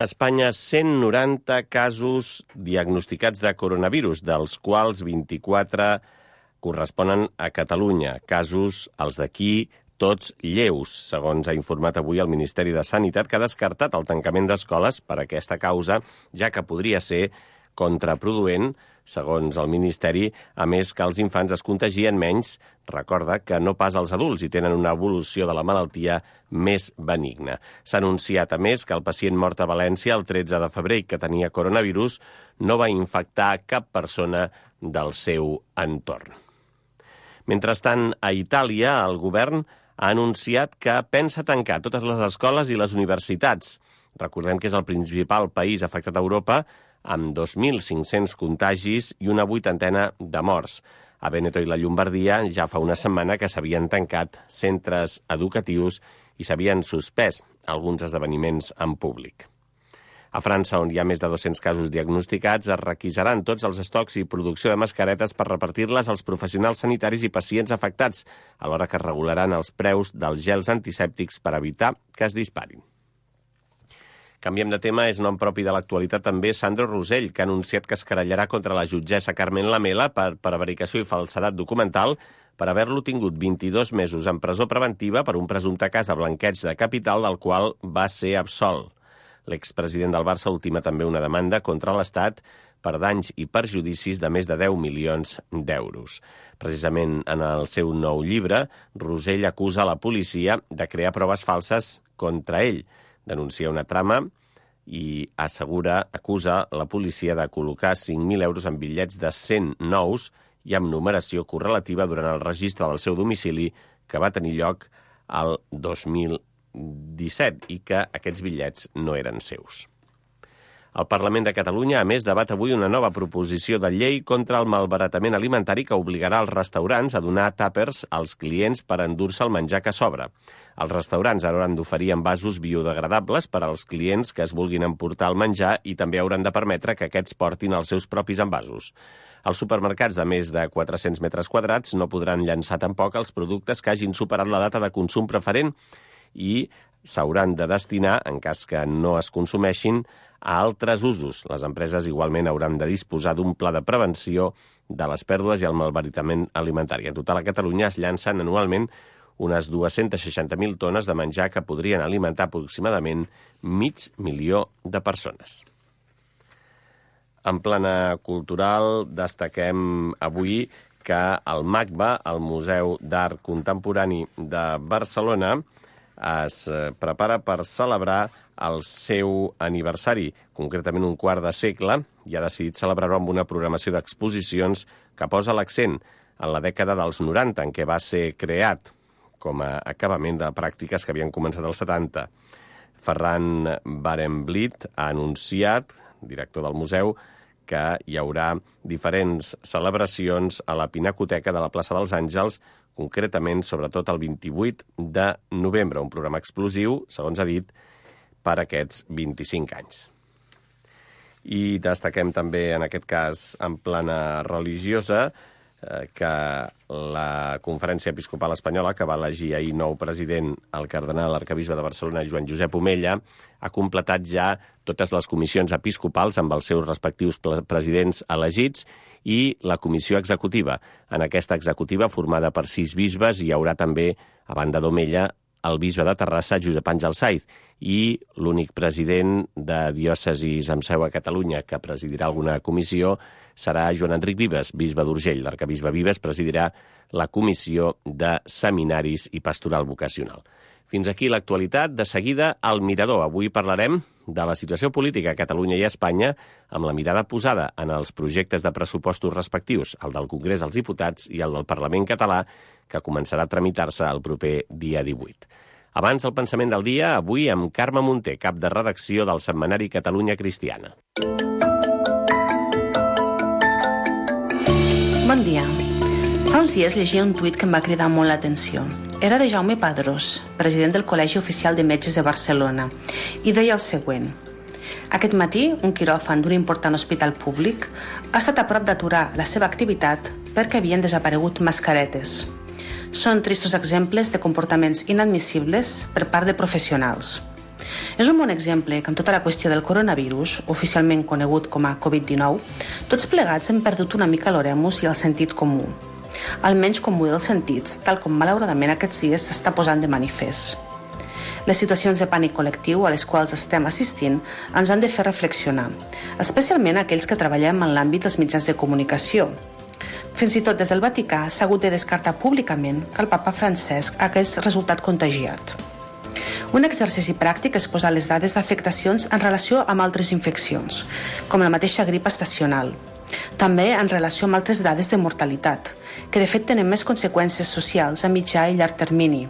A Espanya, 190 casos diagnosticats de coronavirus, dels quals 24 corresponen a Catalunya. Casos, els d'aquí, tots lleus, segons ha informat avui el Ministeri de Sanitat, que ha descartat el tancament d'escoles per aquesta causa, ja que podria ser contraproduent, segons el Ministeri, a més que els infants es contagien menys, recorda que no pas els adults i tenen una evolució de la malaltia més benigna. S'ha anunciat, a més, que el pacient mort a València el 13 de febrer que tenia coronavirus no va infectar cap persona del seu entorn. Mentrestant, a Itàlia, el govern ha anunciat que pensa tancar totes les escoles i les universitats. Recordem que és el principal país afectat a Europa, amb 2.500 contagis i una 80ena de morts. A Vèneto i la Llombardia ja fa una setmana que s'havien tancat centres educatius i s'havien suspès alguns esdeveniments en públic. A França, on hi ha més de 200 casos diagnosticats, es requisaran tots els estocs i producció de mascaretes per repartir-les als professionals sanitaris i pacients afectats, alhora que es regularan els preus dels gels antisèptics per evitar que es disparin. Canviem de tema, és nom propi de l'actualitat també Sandro Rosell, que ha anunciat que es querellarà contra la jutgessa Carmen Lamela per prevaricació i falsedat documental per haver-lo tingut 22 mesos en presó preventiva per un presumpte cas de blanqueig de capital del qual va ser absolt. L'expresident del Barça ultima també una demanda contra l'Estat per danys i perjudicis de més de 10 milions d'euros. Precisament en el seu nou llibre, Rosell acusa la policia de crear proves falses contra ell, denuncia una trama i acusa la policia de col·locar 5.000 euros en bitllets de 100 nous i amb numeració correlativa durant el registre del seu domicili que va tenir lloc el 2017 i que aquests bitllets no eren seus. El Parlament de Catalunya, a més, debat avui una nova proposició de llei contra el malbaratament alimentari que obligarà els restaurants a donar tàpers als clients per endur-se el menjar que sobra. Els restaurants hauran d'oferir envasos biodegradables per als clients que es vulguin emportar el menjar i també hauran de permetre que aquests portin els seus propis envasos. Els supermercats de més de 400 metres quadrats no podran llançar tampoc els productes que hagin superat la data de consum preferent i s'hauran de destinar, en cas que no es consumeixin, a altres usos. Les empreses igualment hauran de disposar d'un pla de prevenció de les pèrdues i el malbaratament alimentari. En total, a Catalunya es llancen anualment unes 260.000 tones de menjar que podrien alimentar aproximadament 500.000 de persones. En plana cultural, destaquem avui que el MACBA, el Museu d'Art Contemporani de Barcelona, es prepara per celebrar el seu aniversari, concretament un quart de segle, i ha decidit celebrar-ho amb una programació d'exposicions que posa l'accent en la dècada dels 90, en què va ser creat com a acabament de pràctiques que havien començat als 70. Ferran Barenblit ha anunciat, director del museu, que hi haurà diferents celebracions a la Pinacoteca de la plaça dels Àngels, concretament, sobretot el 28 de novembre, un programa explosiu, segons ha dit, per aquests 25 anys. I destaquem també, en aquest cas, en plana religiosa, que la Conferència Episcopal Espanyola, que va elegir ahir nou president, el cardenal arquebisbe de Barcelona, Joan Josep Omella, ha completat ja totes les comissions episcopals amb els seus respectius presidents elegits i la comissió executiva. En aquesta executiva, formada per 6 bisbes, hi haurà també, a banda d'Omella, el bisbe de Terrassa, Josep Àngel Saiz, i l'únic president de diòcesis amb seu a Catalunya que presidirà alguna comissió serà Joan Enric Vives, bisbe d'Urgell. L'arquebisbe Vives presidirà la comissió de seminaris i pastoral vocacional. Fins aquí l'actualitat. De seguida, al Mirador. Avui parlarem de la situació política a Catalunya i a Espanya amb la mirada posada en els projectes de pressupostos respectius, el del Congrés dels Diputats i el del Parlament català, que començarà a tramitar-se el proper dia 18. Abans, el pensament del dia, avui amb Carme Munter, cap de redacció del setmanari Catalunya Cristiana. Bon dia. Fa uns dies llegia un tuit que em va cridar molt l'atenció. Era de Jaume Padrós, president del Col·legi Oficial de Metges de Barcelona, i deia el següent. Aquest matí, un quiròfan d'un important hospital públic ha estat a prop d'aturar la seva activitat perquè havien desaparegut mascaretes. Són tristos exemples de comportaments inadmissibles per part de professionals. És un bon exemple que amb tota la qüestió del coronavirus, oficialment conegut com a Covid-19, tots plegats hem perdut una mica l'oremus i el sentit comú. El menys comú dels sentits, tal com malauradament aquests dies s'està posant de manifest. Les situacions de pànic col·lectiu a les quals estem assistint ens han de fer reflexionar, especialment aquells que treballem en l'àmbit dels mitjans de comunicació. Fins i tot des del Vaticà s'ha hagut de descartar públicament que el papa Francesc hagués resultat contagiat. Un exercici pràctic és posar les dades d'afectacions en relació amb altres infeccions, com la mateixa grip estacional. També en relació amb altres dades de mortalitat, que de fet tenen més conseqüències socials a mitjà i llarg termini.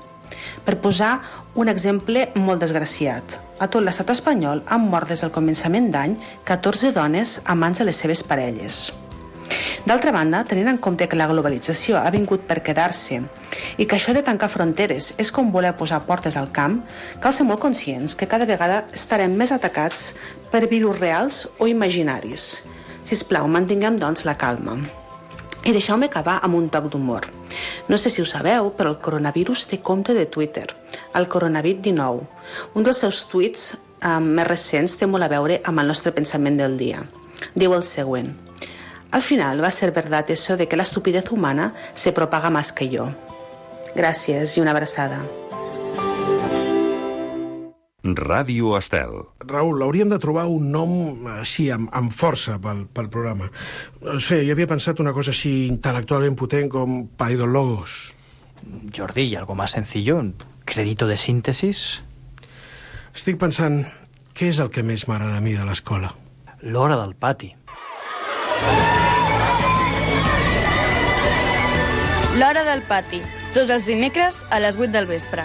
Per posar un exemple molt desgraciat, a tot l'estat espanyol han mort des del començament d'any 14 dones a mans de les seves parelles. D'altra banda, tenint en compte que la globalització ha vingut per quedar-se i que això de tancar fronteres és com voler posar portes al camp, cal ser molt conscients que cada vegada estarem més atacats per virus reals o imaginaris. Sisplau, mantinguem doncs la calma. I deixeu-me acabar amb un toc d'humor. No sé si ho sabeu, però el coronavirus té compte de Twitter, el Coronavit19. Un dels seus tuits més recents té molt a veure amb el nostre pensament del dia. Diu el següent: al final va a ser verdad eso de que la estupidez humana se propaga más que yo. Gràcies i una abraçada. Ràdio Estel. Raül, hauríem de trobar un nom així, amb força pel programa. No sé, jo havia pensat una cosa així intel·lectualment potent com Paidologos. Jordi, ¿y algo más sencillo? ¿Crédito de síntesis? Estic pensant, què és el que més m'agrada a mi de l'escola? L'hora del pati. L'hora del pati, tots els dimecres a les 8 del vespre.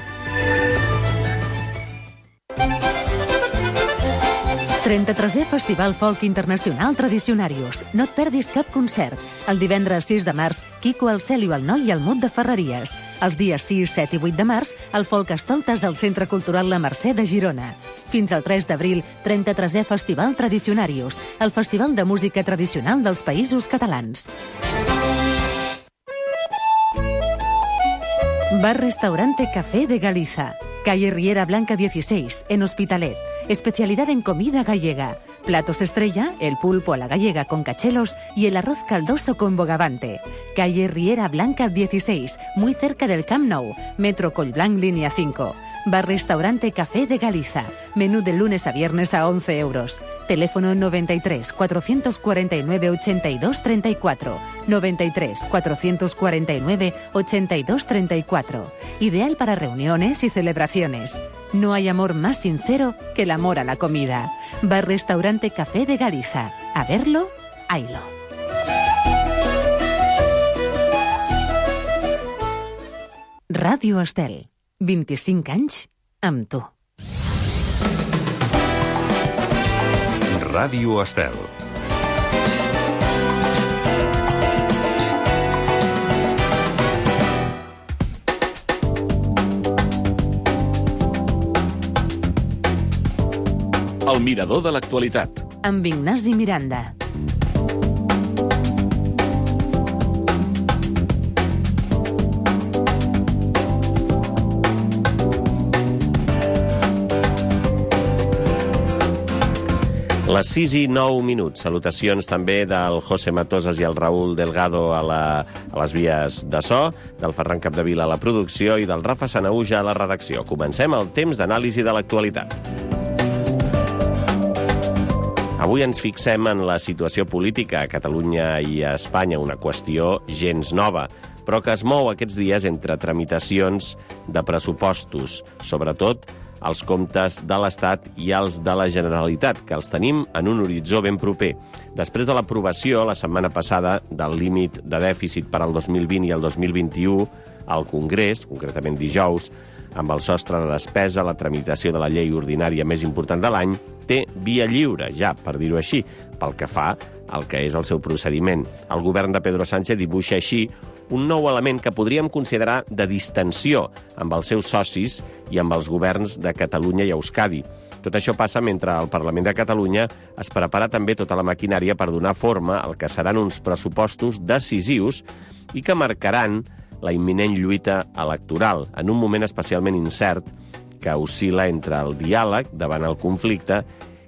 33è Festival Folk Internacional Tradicionarius. No et perdis cap concert. El divendres 6 de març, Quico, el Cèlio, el Noi i el Mut de Ferreries. Els dies 6, 7 i 8 de març, el Folk Estoltes al Centre Cultural La Mercè de Girona. Fins al 3 d'abril, 33è Festival Tradicionarius, el festival de música tradicional dels Països Catalans. Bar-restaurante Café de Galiza. Calle Riera Blanca 16, en Hospitalet. Especialidad en comida gallega. Platos estrella, el pulpo a la gallega con cachelos y el arroz caldoso con bogavante. Calle Riera Blanca 16, muy cerca del Camp Nou. Metro Collblanc, línea 5. Bar-restaurante Café de Galiza. Menú de lunes a viernes a 11 euros. Teléfono 93 449 82 34. 93 449 82 34. Ideal para reuniones y celebraciones. No hay amor más sincero que el amor a la comida. Bar-restaurante Café de Galiza. A verlo, haylo. Ràdio Estel. 25 anys amb tu. Ràdio Estel. El mirador de l'actualitat. Amb Ignasi Miranda. Les 6 i 9 minuts. Salutacions també del José Matosas i el Raül Delgado a les vies de so, del Ferran Capdevila a la producció i del Rafa Sanaúja a la redacció. Comencem el temps d'anàlisi de l'actualitat. Avui ens fixem en la situació política a Catalunya i a Espanya, una qüestió gens nova, però que es mou aquests dies entre tramitacions de pressupostos, sobretot els comptes de l'Estat i els de la Generalitat, que els tenim en un horitzó ben proper. Després de l'aprovació, la setmana passada, del límit de dèficit per al 2020 i el 2021, al Congrés, concretament dijous, amb el sostre de despesa, la tramitació de la llei ordinària més important de l'any, té via lliure, ja, per dir-ho així, pel que fa al que és el seu procediment. El govern de Pedro Sánchez dibuixa així un nou element que podríem considerar de distensió amb els seus socis i amb els governs de Catalunya i Euskadi. Tot això passa mentre al Parlament de Catalunya es prepara també tota la maquinària per donar forma al que seran uns pressupostos decisius i que marcaran la imminent lluita electoral, en un moment especialment incert que oscil·la entre el diàleg davant el conflicte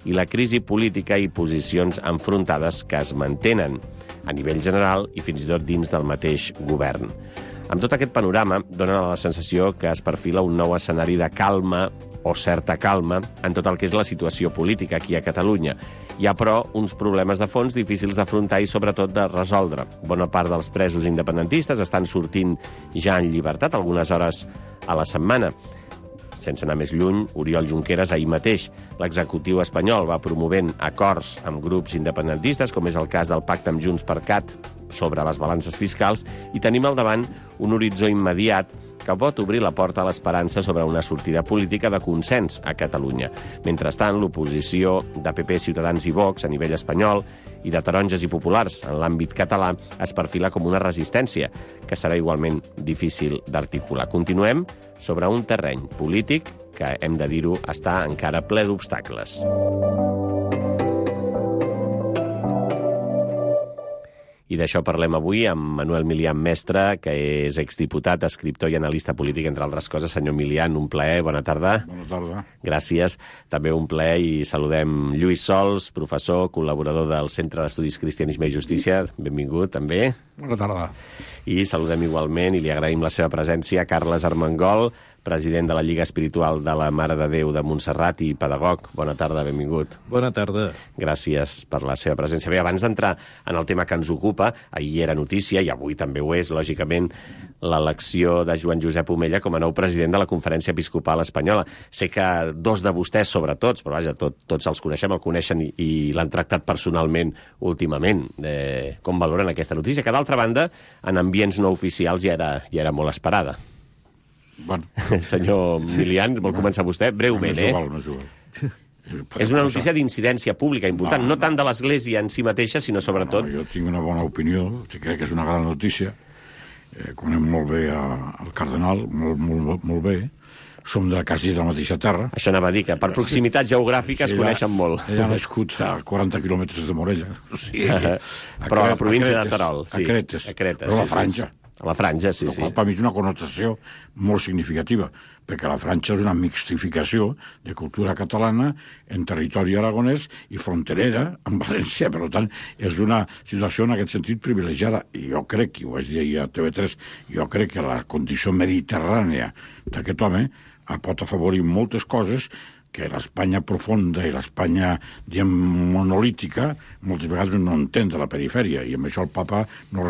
i la crisi política i posicions enfrontades que es mantenen a nivell general i fins i tot dins del mateix govern. Amb tot aquest panorama, dona la sensació que es perfila un nou escenari de calma o certa calma en tot el que és la situació política aquí a Catalunya. Hi ha, però, uns problemes de fons difícils d'afrontar i, sobretot, de resoldre. Bona part dels presos independentistes estan sortint ja en llibertat algunes hores a la setmana. Sense anar més lluny, Oriol Junqueras ahir mateix, l'executiu espanyol, va promovent acords amb grups independentistes, com és el cas del pacte amb Junts per Cat sobre les balances fiscals, i tenim al davant un horitzó immediat que pot obrir la porta a l'esperança sobre una sortida política de consens a Catalunya. Mentrestant, l'oposició de PP, Ciutadans i Vox a nivell espanyol i de taronges i populars en l'àmbit català es perfila com una resistència que serà igualment difícil d'articular. Continuem sobre un terreny polític que, hem de dir-ho, està encara ple d'obstacles. I d'això parlem avui amb Manuel Milian Mestre, que és exdiputat, escriptor i analista polític, entre altres coses. Senyor Milian, un plaer, bona tarda. Bona tarda. Gràcies. També un plaer i saludem Lluís Sols, professor, col·laborador del Centre d'Estudis Cristianisme i Justícia. Benvingut, també. Bona tarda. I saludem igualment, i li agraïm la seva presència, Carles Armengol, president de la Lliga Espiritual de la Mare de Déu de Montserrat i pedagog. Bona tarda, benvingut. Bona tarda. Gràcies per la seva presència. Bé, abans d'entrar en el tema que ens ocupa, ahir era notícia, i avui també ho és, lògicament, l'elecció de Joan Josep Omella com a nou president de la Conferència Episcopal Espanyola. Sé que dos de vostès, sobretot, però vaja, tots els coneixem, el coneixen i l'han tractat personalment últimament. Com valoren aquesta notícia? Que, d'altra banda, en ambients no oficials ja era molt esperada. Bueno. Senyor Milian, vol començar vostè? Breument, És una notícia d'incidència pública important, no tant de l'Església en si mateixa, sinó sobretot... Jo tinc una bona opinió, crec que és una gran notícia. Conem molt bé el cardenal, molt bé. Som de quasi de la mateixa terra. Això anava a dir, que per proximitat geogràfica es coneixen molt. Ella ha nascut a 40 quilòmetres de Morella. Però a la província de Terol. A Cretes, però a la Franja. A la Franja, sí. Per mi és una connotació molt significativa, perquè la Franja és una mixtificació de cultura catalana en territori aragonès i fronterera amb València. Per tant, és una situació en aquest sentit privilegiada. I jo crec, i ho vaig dir ahir a TV3, jo crec que la condició mediterrània d'aquest home pot afavorir moltes coses que l'Espanya profunda i l'Espanya, diguem, monolítica, moltes vegades no entén de la perifèria, i amb això el papa no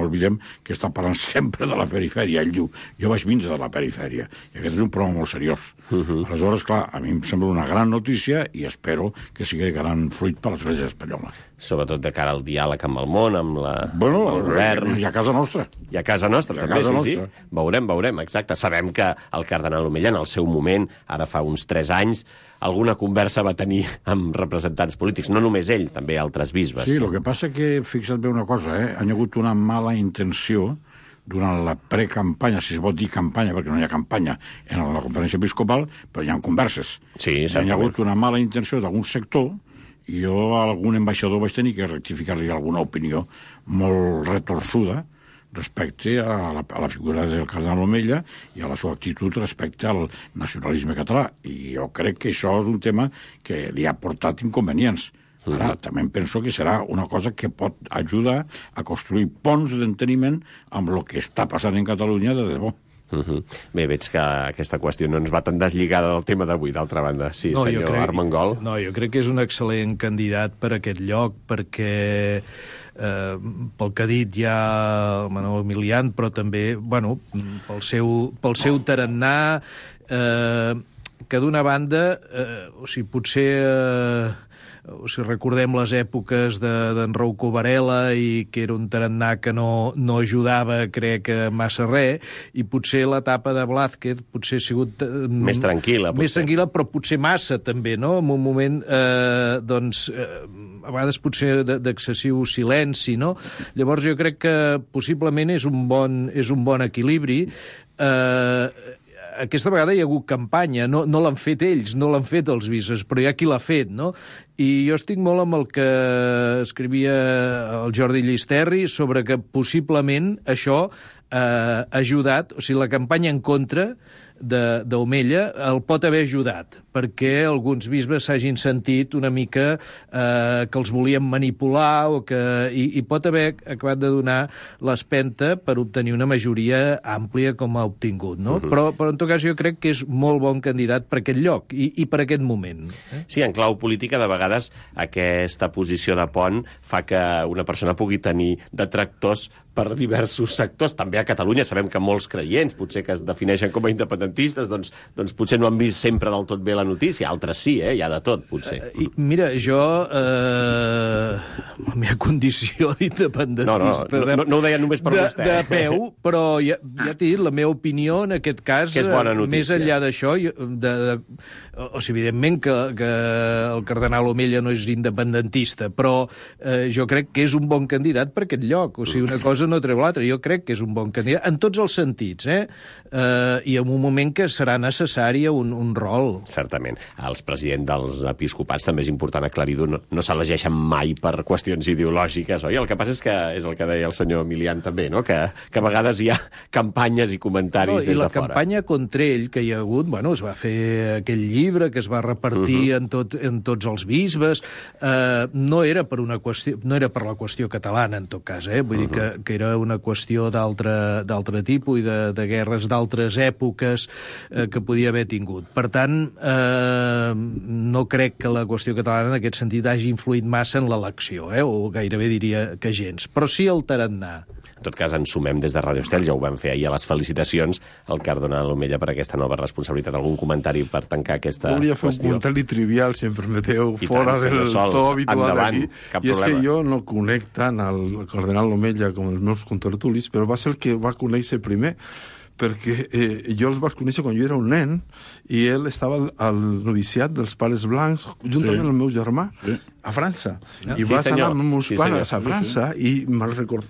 oblidem que està parlant sempre de la perifèria. Ell diu, jo vaig vindre de la perifèria, i aquest és un problema molt seriós. Aleshores, clar, a mi em sembla una gran notícia i espero que sigui gran fruit per a l'Església espanyola. Sobretot de cara al diàleg amb el món, amb el govern... I a casa nostra. I a casa nostra, també, sí. Veurem, exacte. Sabem que el cardenal Omella, en el seu moment, ara fa uns 3 anys, alguna conversa va tenir amb representants polítics. No només ell, també altres bisbes. Sí, el que passa que, fixa't bé una cosa, han hagut una mala intenció durant la precampanya, si es pot dir campanya, perquè no hi ha campanya en la conferència episcopal, però hi ha converses. Sí, hi ha hagut una mala intenció d'algun sector, i jo a algun ambaixador vaig tenir que rectificar-li alguna opinió molt retorçuda respecte a la figura del cardenal Omella i a la seva actitud respecte al nacionalisme català. I jo crec que això és un tema que li ha portat inconvenients. Ara, també penso que serà una cosa que pot ajudar a construir ponts d'enteniment amb el que està passant en Catalunya de debò. Bé, veig que aquesta qüestió no ens va tan deslligada del tema d'avui, d'altra banda. Sí, no, senyor Armengol. No, jo crec que és un excel·lent candidat per a aquest lloc, perquè pel que ha dit ja el Manuel Milian, però també, bueno, pel seu tarannà, que d'una banda, potser... si recordem les èpoques d'en Rouco Varela i que era un tarannà que no ajudava, crec, massa res, i potser l'etapa de Blázquez potser ha sigut... Més tranquil·la, potser. Més tranquil·la, però potser massa, també, no? En un moment, a vegades potser d'excessiu silenci, no? Llavors jo crec que possiblement és un bon equilibri. Aquesta vegada hi ha hagut campanya, no l'han fet ells, no l'han fet els bisbes, però hi ha qui l'ha fet, no? I jo estic molt amb el que escrivia el Jordi Llisterri sobre que possiblement això ha ajudat, o sigui, la campanya en contra d'Omella el pot haver ajudat, perquè alguns bisbes s'hagin sentit una mica que els volien manipular i pot haver acabat de donar l'espenta per obtenir una majoria àmplia com ha obtingut, no? Però en tot cas jo crec que és molt bon candidat per aquest lloc i per aquest moment. Sí, en clau política, de vegades aquesta posició de pont fa que una persona pugui tenir detractors per diversos sectors. També a Catalunya sabem que molts creients, potser que es defineixen com a independentistes, doncs potser no han vist sempre del tot bé la notícia. Altres sí, hi ha de tot, potser. Mira, jo, la meva condició d'independentista... No ho deia només per vostè. De peu, però ja t'he dit, la meva opinió en aquest cas, que és bona notícia. Més enllà d'això, o sigui, evidentment que el cardenal Omella no és independentista, però jo crec que és un bon candidat per aquest lloc. O sigui, una cosa no treu l'altra. Jo crec que és un bon candidat, en tots els sentits, i en un moment que serà necessari un rol. Certament. Els presidents dels episcopats també és important aclarir-ho, no s'elegeixen mai per qüestions ideològiques, oi? El que passa és que és el que deia el senyor Milian també, no? Que a vegades hi ha campanyes i comentaris des de fora. I la campanya contra ell que hi ha hagut, bueno, es va fer aquell llibre que es va repartir en tots els bisbes, no era per la qüestió catalana, en tot cas, vull dir que era una qüestió d'altre tipus i de guerres d'altres èpoques que podia haver tingut. Per tant, no crec que la qüestió catalana en aquest sentit hagi influït massa en l'elecció, o gairebé diria que gens, però sí el tarannà. En tot cas, ens sumem des de Radio Estel, ja ho vam fer ahir a les felicitacions al cardenal Omella per aquesta nova responsabilitat. Algun comentari per tancar aquesta qüestió? Volia fer un comentari trivial, si em permeteu, fora del to habitual d'aquí. I és que jo no conec tant el cardenal Omella com els meus contertulis, però va ser el que va conèixer primer, perquè jo els vaig conèixer quan jo era un nen i ell estava al noviciat dels Pares Blancs juntament amb el meu germà a França. I vaig anar amb els meus pares a França i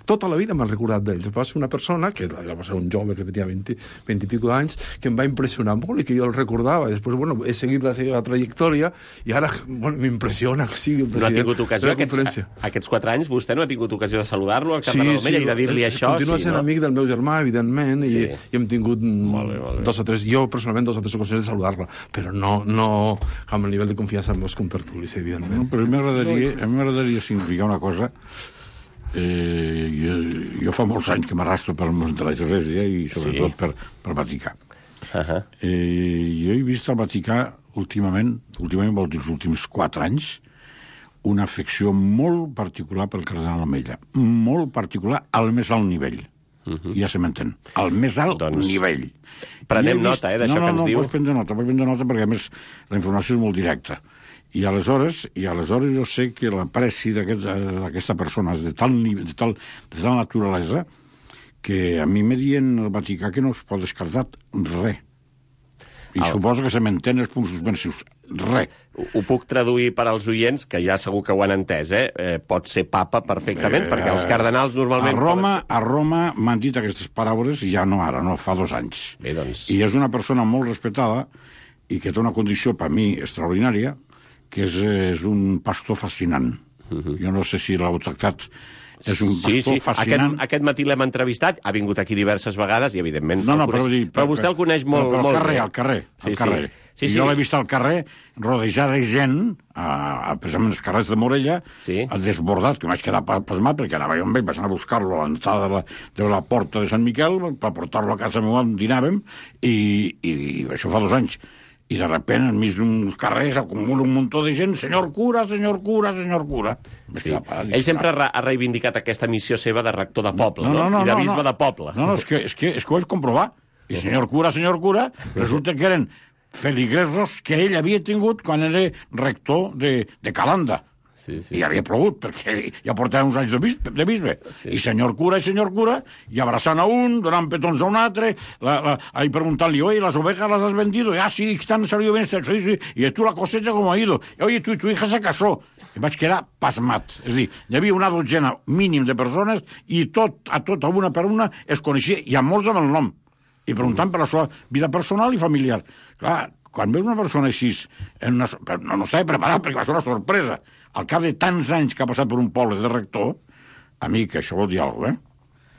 tota la vida m'ha recordat d'ell. Va ser una persona, que va ser un jove que tenia 20 i pico d'anys, que em va impressionar molt i que jo el recordava. Després, he seguit la seva trajectòria i ara m'impressiona que sigui el president de la conferència. Aquests 4 anys vostè no ha tingut ocasió de saludar-lo al cardenal Omella i de dir-li això? Continua sent amic del meu germà, evidentment, i hem tingut 2 o 3, jo personalment 2 o 3 ocasions de saludar-la, però no amb el nivell de confiança amb els contertulis, evidentment. Però m'agradaria significar una cosa. Jo fa molts anys que m'arrastro per món de l'Església i sobretot per Vaticà. Jo he vist al Vaticà últimament vol dir els últims 4 anys, una afecció molt particular pel cardenal Omella. Molt particular, al més alt nivell. Ja se m'entén. Al més alt nivell. Prenem nota, d'això que ens diu. No, pots prendre nota perquè, a més, la informació és molt directa. I aleshores jo sé que l'apreci d'aquesta persona és de tal naturalesa que a mi me diuen al Vaticà que no es pot descartar res. I suposo que se m'entén els punts suspensius. Res. Ho puc traduir per als oients, que ja segur que ho han entès, pot ser papa perfectament, perquè els cardenals normalment... A Roma m'han dit aquestes paraules, ja no ara, no, fa 2 anys. Bé, doncs... I és una persona molt respetada i que té una condició, per mi, extraordinària, que és un pastor fascinant. Jo no sé si l'heu tractat... És un pastor fascinant. Aquest matí l'hem entrevistat, ha vingut aquí diverses vegades i, evidentment... Però vostè el coneix molt bé. Al carrer. Jo l'he vist al carrer, rodejada de gent, precisament als carrers de Morella, desbordat, que m'haig quedat pasmat, perquè anava jo amb ell, vaig anar a buscar-lo a l'entrada de la porta de Sant Miquel, per portar-lo a casa meva on dinàvem, i això fa 2 anys. I de repent, enmig d'uns carrers, acumula un muntó de gent, senyor cura, senyor cura, senyor cura. Sí. Ell sempre ha reivindicat aquesta missió seva de rector de poble, no? I de bisbe de poble. No, és que ho vaig comprovar. I senyor cura, resulta que eren feligresos que ell havia tingut quan era rector de Calanda. I havia plogut, perquè ja portava uns anys de bisbe. I senyor cura, i abraçant a un, donant petons a un altre, ahí preguntant-li, oye, las ovejas las has vendido? Sí, que han salido bien, sí. I tu la cosecha com ha ido? Oye, tu hija se casó. I vaig quedar pasmat. És a dir, hi havia una dotzena mínim de persones i a una per una, es coneixia, i a molts amb el nom. I preguntant per la seva vida personal i familiar. Clar, quan veus una persona així, no s'ha de preparar perquè va ser una sorpresa. Al cap de tants anys que ha passat per un poble de rector, a mi que això vol dir alguna cosa,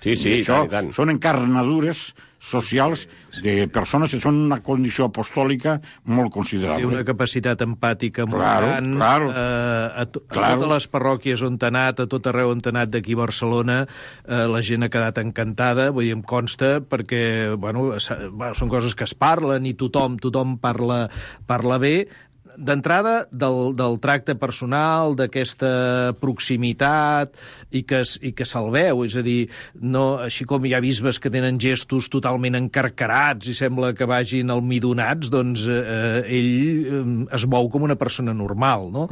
Sí, això són encarnadures socials de persones que són una condició apostòlica molt considerable. Té una capacitat empàtica molt gran. A totes les parròquies on t'ha anat, a tot arreu on t'ha anat d'aquí a Barcelona, la gent ha quedat encantada, vull dir, em consta, perquè, són coses que es parlen i tothom parla bé. D'entrada, del tracte personal, d'aquesta proximitat, i que se'l veu, és a dir, no, així com hi ha bisbes que tenen gestos totalment encarcarats i sembla que vagin almidonats, doncs ell es mou com una persona normal, no?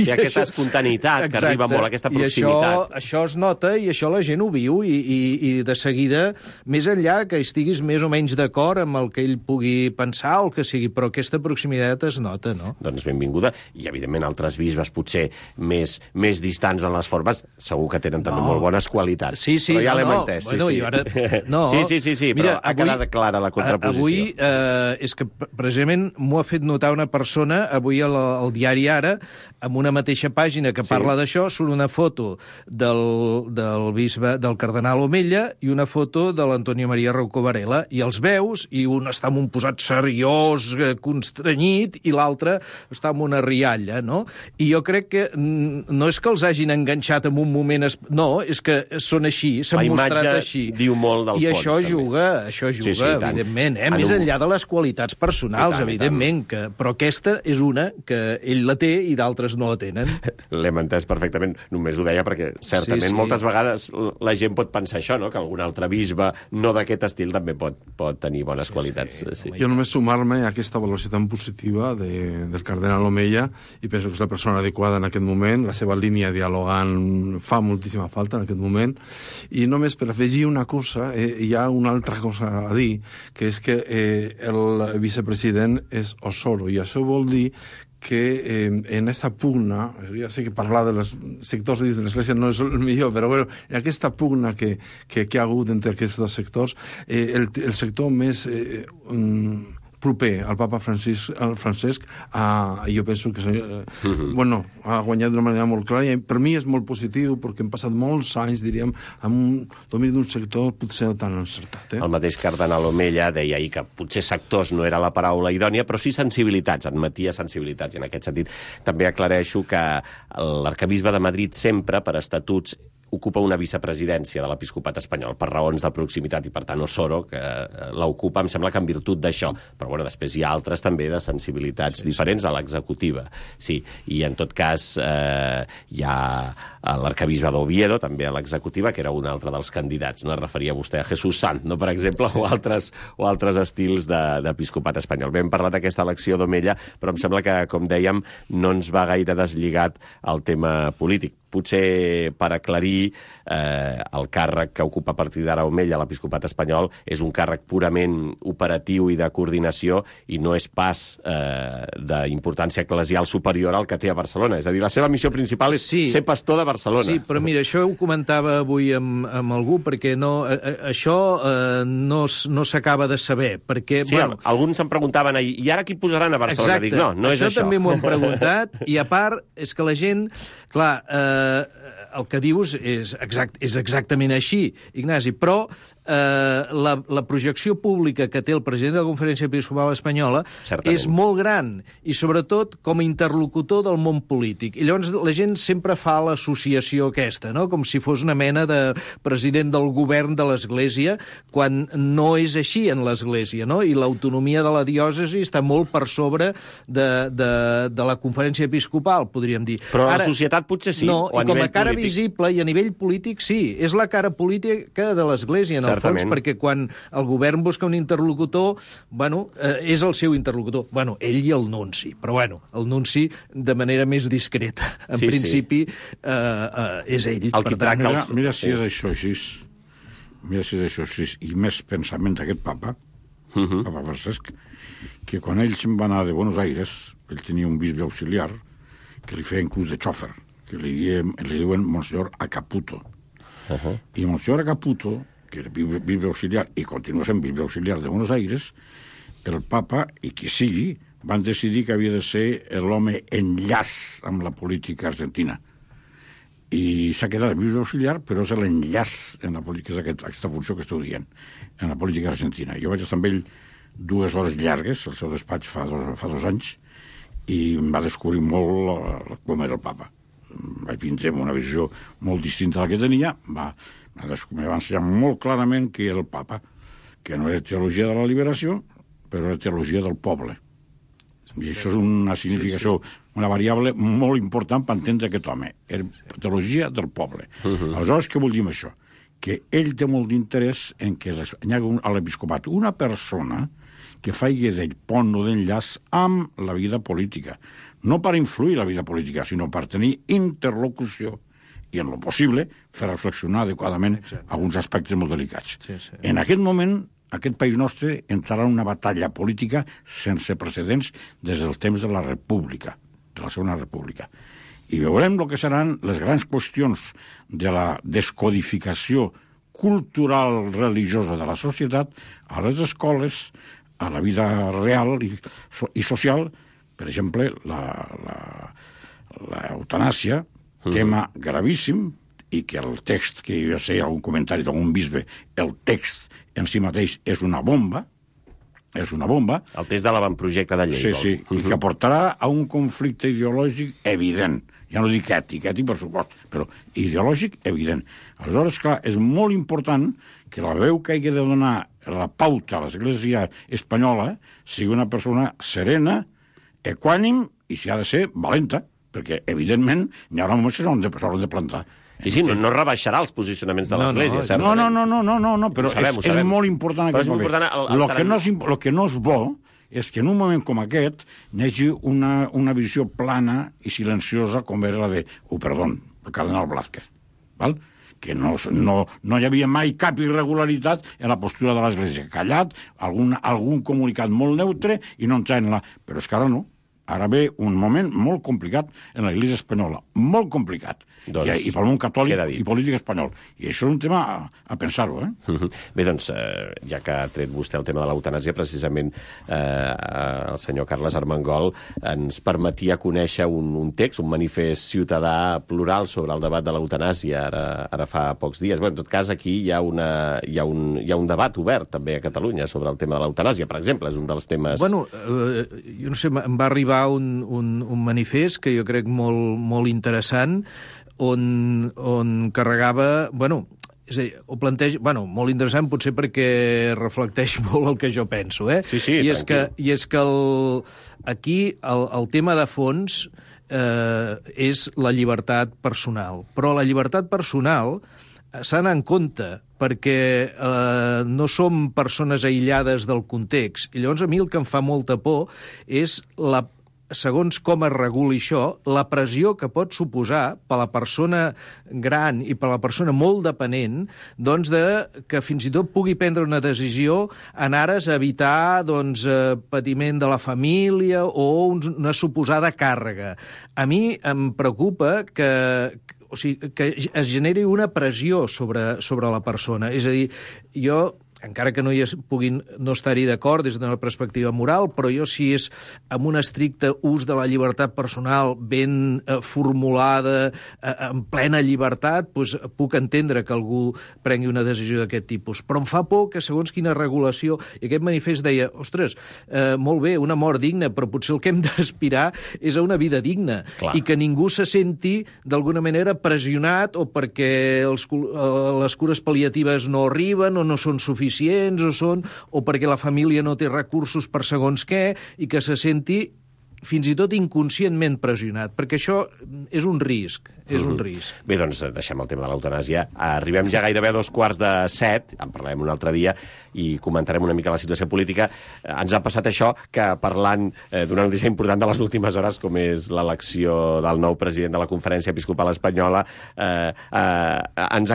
Hi ha aquesta espontaneïtat que arriba molt, aquesta proximitat. I això es nota, i això la gent ho viu, i de seguida, més enllà que estiguis més o menys d'acord amb el que ell pugui pensar o el que sigui, però aquesta proximitat es nota, no? Doncs benvinguda. I, evidentment, altres bisbes potser més distants en les formes, segur que tenen també molt bones qualitats. Sí, però ja l'hem entès. Sí, però ha quedat clara la contraposició. Avui, és que precisament m'ho ha fet notar una persona, avui al diari Ara, amb una mateixa pàgina que parla d'això, surt una foto del bisbe, del cardenal Omella, i una foto de l'Antonio María Rouco Varela, i els veus, i un està amb un posat seriós, constrenyit, i l'altre està amb una rialla, no? I jo crec que no és que els hagin enganxat en un moment... No, és que són així, s'han mostrat així. La imatge diu molt del fons. I això juga, evidentment, més enllà de les qualitats personals, evidentment, però aquesta és una que ell la té i d'altres no la tenen. L'hem entès perfectament, només ho deia perquè certament moltes vegades la gent pot pensar això, no? Que algun altre bisbe no d'aquest estil també pot tenir bones qualitats. Jo només sumar-me a aquesta valoració tan positiva del cardenal Omella, i penso que és la persona adequada en aquest moment, la seva línia dialogant fa moltíssima falta en aquest moment, i només per afegir una cosa, hi ha una altra cosa a dir, que és que el vicepresident és Osoro, i això vol dir que en aquesta pugna, ja sé que parlar dels sectors de l'Església no és el millor, però bueno, en aquesta pugna que hi ha hagut entre aquests dos sectors, el sector més proper al papa Francesc, jo penso que ha guanyat d'una manera molt clara, i per mi és molt positiu, perquè hem passat molts anys, diríem, amb un domini d'un sector potser tan encertat. El mateix cardenal Omella deia ahir que potser sectors no era la paraula idònia, però sí sensibilitats, admetia sensibilitats, i en aquest sentit també aclareixo que l'arcabisbe de Madrid sempre, per estatuts, ocupa una vicepresidència de l'episcopat espanyol per raons de proximitat, i per tant Osoro, que l'ocupa, em sembla que en virtut d'això. Però bueno, després hi ha altres també de sensibilitats diferents a l'executiva. Sí, i en tot cas hi ha l'arcabisbe d'Oviedo, també a l'executiva, que era un altre dels candidats. No es referia vostè a Jesús Sant, no, per exemple, o altres estils d'episcopat espanyol. Bé, hem parlat d'aquesta elecció d'Omella, però em sembla que, com dèiem, no ens va gaire deslligat al tema polític. Potser per aclarir el càrrec que ocupa a partir d'ara Omella a l'episcopat espanyol és un càrrec purament operatiu i de coordinació, i no és pas d'importància eclesial superior al que té a Barcelona. És a dir, la seva missió principal és ser pastor de Barcelona. Sí, però mira, això ho comentava avui amb algú, perquè això no s'acaba de saber. Perquè, sí, alguns se'm preguntaven ahir, i ara qui posaran a Barcelona? Exacte. Dic, no és això. Això també m'ho han preguntat, i a part és que la gent... Clar, el que dius és exactament així, Ignasi, però la projecció pública que té el president de la Conferència Episcopal Espanyola és molt gran, i sobretot com a interlocutor del món polític. I llavors la gent sempre fa l'associació aquesta, no? Com si fos una mena de president del govern de l'Església, quan no és així en l'Església, no? I l'autonomia de la diòcesi està molt per sobre de la Conferència Episcopal, podríem dir. Però a la societat potser sí, no, o a nivell polític. Com a cara visible i a nivell polític sí, és la cara política de l'Església, en el fons, perquè quan el govern busca un interlocutor, és el seu interlocutor. Ell i el nunci, però el nunci de manera més discreta. En principi, és ell. Mira si és això així. Mira si és això així. I més pensament d'aquest papa, papa Francesc, que quan ell se'n va anar de Buenos Aires, ell tenia un bisbe auxiliar que li feia inclús de xòfer, que li diuen Monsenyor Acaputo. I Monsenyor Acaputo, que era bisbe auxiliar i continua sent bisbe auxiliar de Buenos Aires, el papa, i qui sigui, van decidir que havia de ser l'home enllaç amb la política argentina. i s'ha quedat de bisbe auxiliar, però és l'enllaç en la política, és aquesta funció que esteu dient, en la política argentina. Jo vaig estar amb ell 2 hores llargues, al seu despatx fa 2 anys, i em va descobrir molt com era el papa. Vaig vindre amb una visió molt distinta a la que tenia, em va ensenyar molt clarament que era el papa, que no era teologia de la liberació, però era teologia del poble. I això és una significació, una variable molt important per entendre aquest home. Era teologia del poble. Aleshores, què vol dir amb això? Que ell té molt d'interès en que hi hagi a l'episcopat una persona que faci del pont o d'enllaç amb la vida política. No per influir la vida política, sinó per tenir interlocució i, en lo possible, fer reflexionar adequadament alguns aspectes molt delicats. En aquest moment, aquest país nostre entrarà en una batalla política sense precedents des del temps de la República, de la Segona República. I veurem el que seran les grans qüestions de la descodificació cultural religiosa de la societat a les escoles, a la vida real i social. Per exemple, l'eutanàsia, tema gravíssim, i que el text, que jo sé, algun comentari d'algun bisbe, el text en si mateix és una bomba, El text de l'avantprojecte de llei. Sí, i que portarà a un conflicte ideològic evident. Ja no dic ètic per supost, però ideològic evident. Aleshores, clar, és molt important que la veu que hagi de donar la pauta a l'Església espanyola sigui una persona serena, equànim i, si ha de ser, valenta, perquè, evidentment, hi haurà moments que s'hauran de plantar. Sí, no rebaixarà els posicionaments de l'Església, certament. No, però és molt important aquest moment. El que no és bo és que en un moment com aquest hi hagi una visió plana i silenciosa com era la de, el cardenal Blázquez, val? Que no hi havia mai cap irregularitat en la postura de l'Església. Callat, algun comunicat molt neutre i no entrar en la... Però és que ara no. Ara ve un moment molt complicat en l'Església espanyola, molt complicat, i pel món catòlic i polític espanyol. I això és un tema a pensar-ho, Bé, doncs, ja que ha tret vostè el tema de l'eutanàsia, precisament el senyor Carles Armengol ens permetia conèixer un text, un manifest ciutadà plural sobre el debat de l'eutanàsia ara fa pocs dies. Bé, en tot cas, aquí hi ha un debat obert també a Catalunya sobre el tema de l'eutanàsia, per exemple, és un dels temes... Bueno, jo no sé, em va arribar un manifest que jo crec molt interessant on carregava... Bueno, és a dir, ho planteja... Bueno, molt interessant potser perquè reflecteix molt el que jo penso, Sí, I és que aquí el tema de fons és la llibertat personal. Però la llibertat personal s'ha d'anar en compte perquè no som persones aïllades del context. I llavors a mi el que em fa molta por és segons com es reguli això, la pressió que pot suposar per a la persona gran i per a la persona molt dependent, doncs que fins i tot pugui prendre una decisió en ares a evitar patiment de la família o una suposada càrrega. A mi em preocupa que es generi una pressió sobre la persona. És a dir, jo... encara que no puguin no estar-hi d'acord des d'una perspectiva moral, però jo si és amb un estricte ús de la llibertat personal ben formulada, en plena llibertat, doncs puc entendre que algú prengui una decisió d'aquest tipus. Però em fa por que segons quina regulació, i aquest manifest deia, ostres, molt bé, una mort digna, però potser el que hem d'aspirar és a una vida digna. Clar. I que ningú se senti d'alguna manera pressionat o perquè les cures pal·liatives no arriben o no són suficients o perquè la família no té recursos per segons què i que se senti fins i tot inconscientment pressionat, perquè això és un risc, un risc. Bé, doncs deixem el tema de l'eutanàsia. Arribem ja gairebé a 6:45, en parlarem un altre dia, i comentarem una mica la situació política. Ens ha passat això, que parlant d'una notícia important de les últimes hores, com és l'elecció del nou president de la Conferència Episcopal Espanyola, ens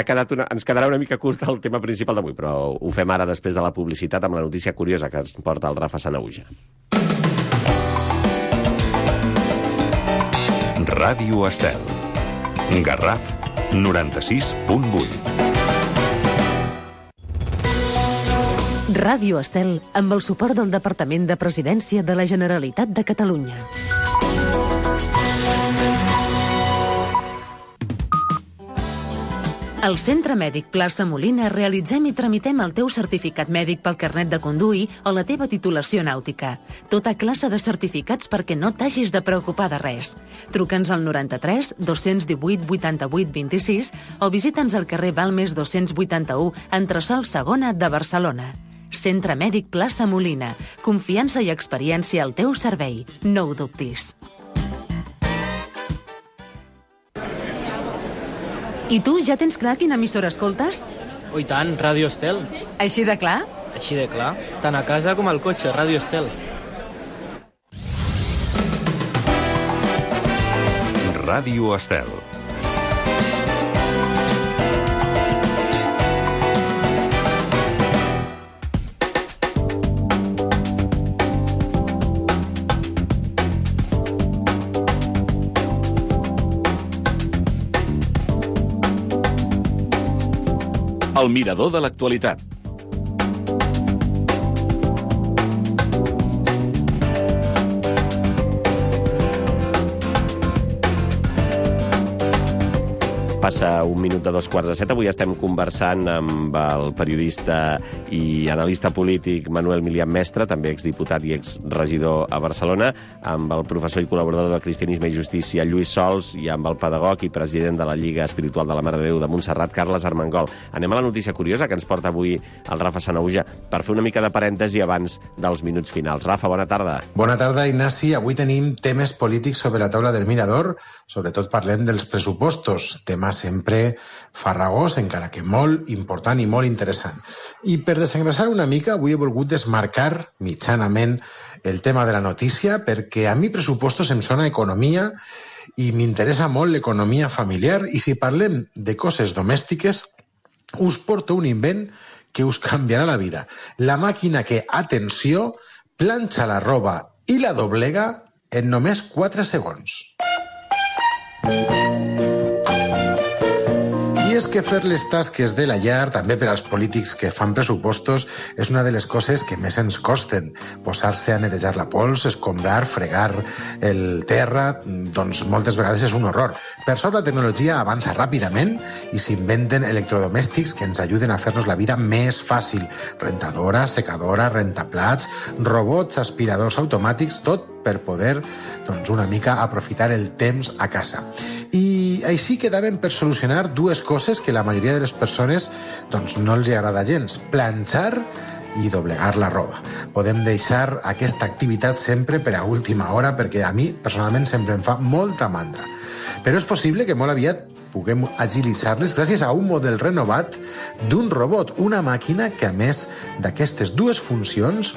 quedarà una mica curt el tema principal d'avui, però ho fem ara després de la publicitat amb la notícia curiosa que ens porta el Rafa Sanahuja. Ràdio Estel. Garraf 96.8. Ràdio Estel, amb el suport del Departament de Presidència de la Generalitat de Catalunya. Al Centre Mèdic Plaça Molina realitzem i tramitem el teu certificat mèdic pel carnet de conduir o la teva titulació nàutica. Tota classe de certificats perquè no t'hagis de preocupar de res. Truca'ns al 93 218 88 26 o visita'ns al carrer Balmes 281, entresòl Segona de Barcelona. Centre Mèdic Plaça Molina. Confiança i experiència al teu servei. No ho dubtis. I tu, ja tens clar quina emissora escoltes? Oh, i tant, Ràdio Estel. Així de clar? Així de clar. Tant a casa com al cotxe, Ràdio Estel. Ràdio Estel. El mirador de l'actualitat. Passa un minut de 2:15. Avui estem conversant amb el periodista i analista polític Manuel Milian Mestre, també exdiputat i exregidor a Barcelona, amb el professor i col·laborador de Cristianisme i Justícia Lluís Sols i amb el pedagog i president de la Lliga Espiritual de la Mare de Déu de Montserrat, Carles Armengol. Anem a la notícia curiosa que ens porta avui el Rafa Sanahuja per fer una mica de parèntesi abans dels minuts finals. Rafa, bona tarda. Bona tarda, Ignasi. Avui tenim temes polítics sobre la taula del Mirador. Sobretot parlem dels pressupostos, tema sempre farragós, encara que molt important i molt interessant. I per desengrasar una mica, avui he volgut desmarcar mitjanament el tema de la notícia, perquè a mi pressupostos em sona economia i m'interessa molt l'economia familiar, i si parlem de coses domèstiques, us porto un invent que us canviarà la vida. La màquina que, atenció, planxa la roba i la doblega en només 4 segons. I és que fer les tasques de la llar, també per als polítics que fan pressupostos, és una de les coses que més ens costen. Posar-se a netejar la pols, escombrar, fregar el terra, doncs moltes vegades és un horror. Per sort la tecnologia avança ràpidament i s'inventen electrodomèstics que ens ajuden a fer-nos la vida més fàcil. Rentadora, secadora, rentaplats, robots, aspiradors automàtics, tot per poder, doncs, una mica aprofitar el temps a casa. I així quedaven per solucionar dues coses que la majoria de les persones doncs, no els agrada gens: planxar i doblegar la roba. Podem deixar aquesta activitat sempre per a última hora, perquè a mi personalment sempre em fa molta mandra. Però és possible que molt aviat puguem agilitzar-les gràcies a un model renovat d'un robot, una màquina que, a més d'aquestes dues funcions,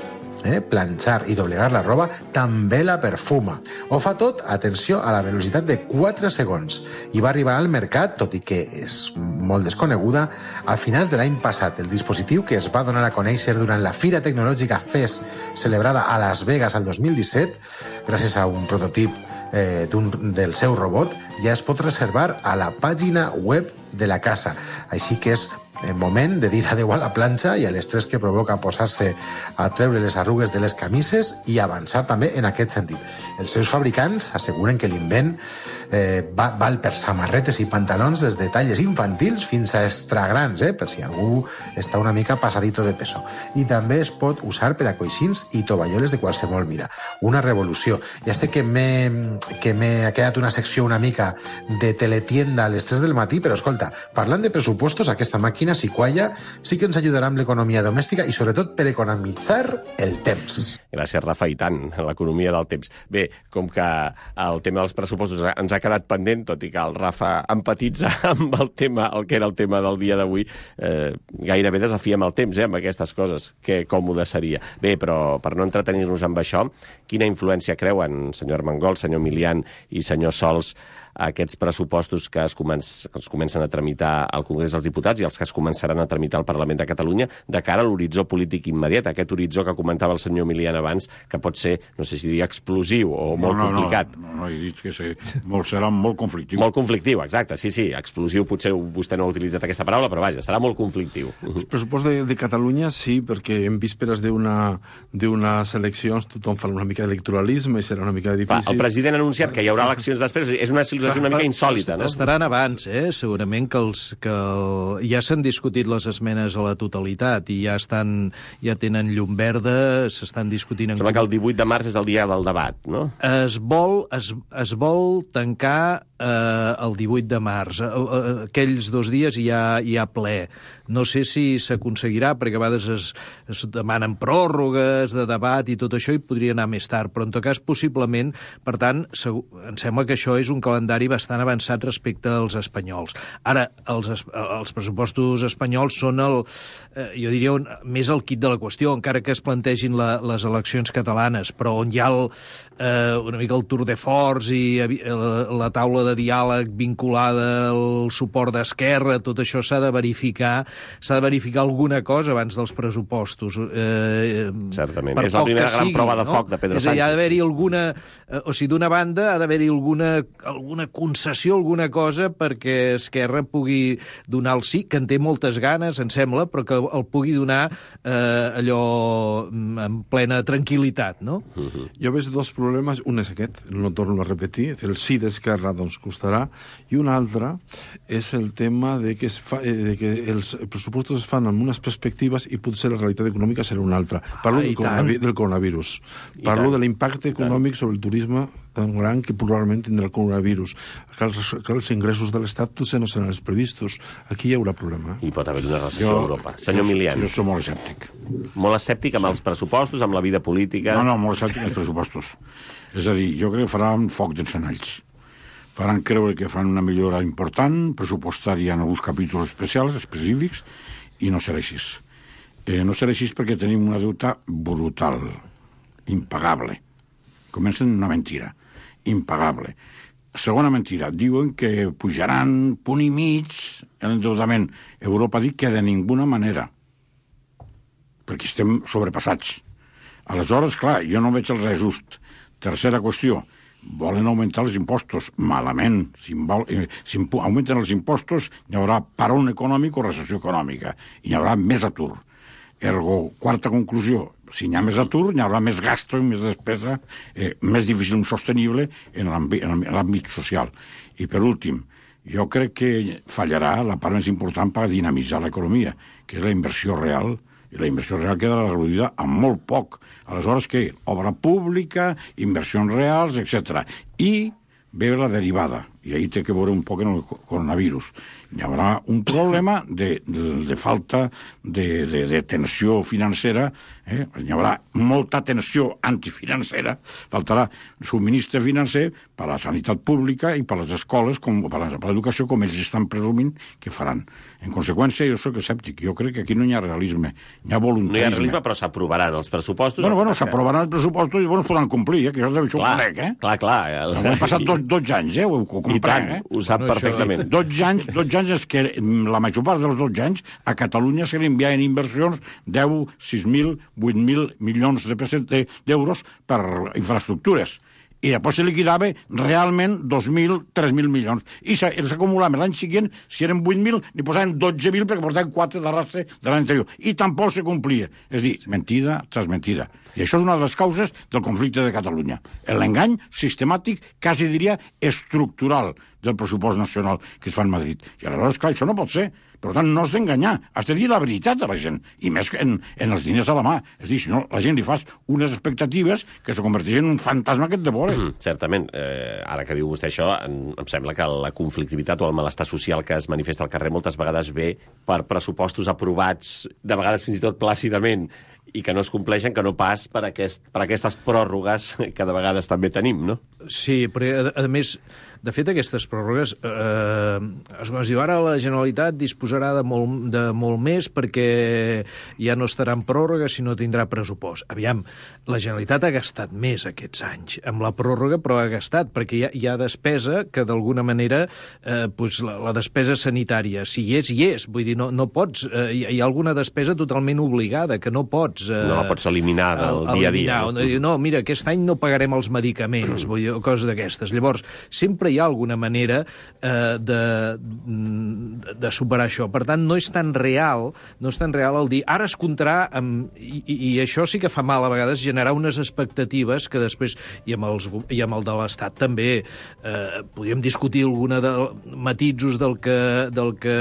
planxar i doblegar la roba, també la perfuma. Ho fa tot, atenció, a la velocitat de 4 segons. I va arribar al mercat, tot i que és molt desconeguda, a finals de l'any passat. El dispositiu, que es va donar a conèixer durant la Fira Tecnològica CES, celebrada a Las Vegas el 2017, gràcies a un prototip del seu robot, ja es pot reservar a la pàgina web de la casa. Així que és el moment de dir adeu a la planxa i a l'estrès que provoca posar-se a treure les arrugues de les camises i avançar també en aquest sentit. Els seus fabricants asseguren que l'invent val per samarretes i pantalons des de talles infantils fins a extragrans, per si algú està una mica passadito de peso. I també es pot usar per a coixins i tovalloles de qualsevol mida. Una revolució. Ja sé que m'ha quedat una secció una mica de teletienda a les 3 del matí, però escolta, parlant de pressupostos, aquesta màquina, si qualla, sí que ens ajudarà amb l'economia domèstica i sobretot per economitzar el temps. Gràcies, Rafa, i tant, l'economia del temps. Bé, com que el tema dels pressupostos ens ha quedat pendent, tot i que el Rafa empatitza amb el tema, el que era el tema del dia d'avui, gairebé desafiem el temps, amb aquestes coses. Que còmode seria. Bé, però per no entretenir-nos amb això, quina influència creuen, senyor Armengol, senyor Milian i senyor Sols, aquests pressupostos que es comencen a tramitar al Congrés dels Diputats i els que es començaran a tramitar al Parlament de Catalunya de cara a l'horitzó polític immediat, aquest horitzó que comentava el senyor Milian abans, que pot ser, no sé si dir explosiu o molt complicat. No, he dit que serà molt conflictiu. Molt conflictiu, exacte, sí, explosiu potser vostè no ha utilitzat aquesta paraula, però vaja, serà molt conflictiu. El pressupost de Catalunya sí, perquè en vísperes d'unes eleccions tothom fa una mica d'electoralisme i serà una mica difícil. El president ha anunciat que hi haurà eleccions després, és una és una mica insòlita, no? Estaran abans, segurament que ja s'han discutit les esmenes a la totalitat i ja tenen llum verda, s'estan discutint... Sembla que el 18 de març és el dia del debat, no? Es vol tancar el 18 de març. Aquells 2 dies hi ha ple. No sé si s'aconseguirà, perquè a vegades es demanen pròrrogues de debat i tot això, i podria anar més tard, però en tot cas, possiblement, per tant, em sembla que això és un calendari bastant avançat respecte als espanyols. Ara, els pressupostos espanyols són jo diria, més el quid de la qüestió, encara que es plantegin les eleccions catalanes, però on hi ha una mica el tour de force i la taula de diàleg vinculada al suport d'Esquerra, tot això s'ha de verificar alguna cosa abans dels pressupostos. Certament, és la primera gran prova de foc de Pedro Sánchez. Hi ha d'haver-hi alguna... O sigui, d'una banda ha d'haver-hi alguna concessió, alguna cosa perquè Esquerra pugui donar el sí, que en té moltes ganes, em sembla, però que el pugui donar allò en plena tranquil·litat, no? Jo veig 2 problemes. Un és aquest, no torno a repetir, el sí d'Esquerra doncs costarà, i un altre és el tema de que els pressupostos es fan amb unes perspectives i potser la realitat econòmica serà una altra. Parlo del coronavirus. Parlo de l'impacte econòmic sobre el turisme tan gran que probablement tindrà el coronavirus. Que els ingressos de l'Estat potser no seran els previstos. Aquí hi haurà problema. I pot haver una recessió a Europa. Senyor Milian. Jo soc molt escèptic. Molt escèptic amb els pressupostos, amb la vida política... No, molt escèptic amb els pressupostos. És a dir, jo crec que faran foc d'encenalls. Faran creure que fan una millora important, pressupostària en alguns capítols específics, i no serà així. No serà així perquè tenim una deuta brutal, impagable. Comencen una mentira, impagable. Segona mentira, diuen que pujaran punt i mig l'endeutament. Europa ha dit que de ninguna manera, perquè estem sobrepassats. Aleshores, clar, jo no veig el reajust. Tercera qüestió, volen augmentar els impostos. Malament. Si augmenten els impostos, hi haurà parón econòmic o recessió econòmica. I hi haurà més atur. Ergo, quarta conclusió, si hi ha més atur, hi haurà més gasto i més despesa, més difícil i sostenible en l'àmbit social. I per últim, jo crec que fallarà la part més important per dinamitzar l'economia, que és la inversió real, i la inversió real quedarà reduïda amb molt poc. Aleshores, què? Obra pública, inversions reals, etc. I ve la derivada, i ahí té que veure un poc en el coronavirus. Hi haurà un problema de falta de tensió financera, hi haurà molta tensió antifinancera, faltarà subministre financer per a la sanitat pública i per a les escoles, per a l'educació, com ells estan presumint que faran. En conseqüència, jo soc escèptic. Jo crec que aquí no hi ha realisme, hi ha voluntarisme. No hi ha realisme, però s'aprovaran els pressupostos. Bueno, s'aprovaran els pressupostos i es podran complir, que això ho conec, Clar. Han passat 12 anys, ho comprenc, ho sap perfectament. 12 anys és que la major part dels 12 anys a Catalunya se li enviaven inversions 10, 6.000, 8.000 milions d'euros per infraestructures. I després se liquidava realment 2.000, 3.000 milions. I els acumulaven l'any següent, si eren 8.000, li posaven 12.000 perquè portaven 4 d'arrastre de l'any anterior. I tampoc se complia. És a dir, mentida tras mentida. I això és una de les causes del conflicte de Catalunya. L'engany sistemàtic, quasi diria estructural, del pressupost nacional que es fa en Madrid. I aleshores, clar, això no pot ser. Per tant, no has d'enganyar. Has de dir la veritat a la gent. I més en els diners a la mà. És a dir, si no, la gent li fas unes expectatives que se converteixen en un fantasma que et devora. Certament. Ara que diu vostè això, em sembla que la conflictivitat o el malestar social que es manifesta al carrer moltes vegades ve per pressupostos aprovats, de vegades fins i tot plàcidament, i que no es compleixen, que no pas per aquestes pròrrogues que de vegades també tenim, no? Sí, però a més, de fet, aquestes pròrrogues es diu ara la Generalitat disposarà de molt més perquè ja no estarà en pròrroga si no tindrà pressupost. Aviam, la Generalitat ha gastat més aquests anys amb la pròrroga, però ha gastat perquè hi ha despesa que d'alguna manera la despesa sanitària, si hi és, vull dir, no pots, hi ha alguna despesa totalment obligada que no pots no la pots eliminar del dia a dia. No, mira, aquest any no pagarem els medicaments, vull dir, coses d'aquestes. Llavors, sempre hi ha alguna manera de superar això. Per tant, no és tan real el dir ara es comptarà i això sí que fa mal a vegades generar unes expectatives que després, i amb el de l'Estat també, podríem discutir alguna de matisos del que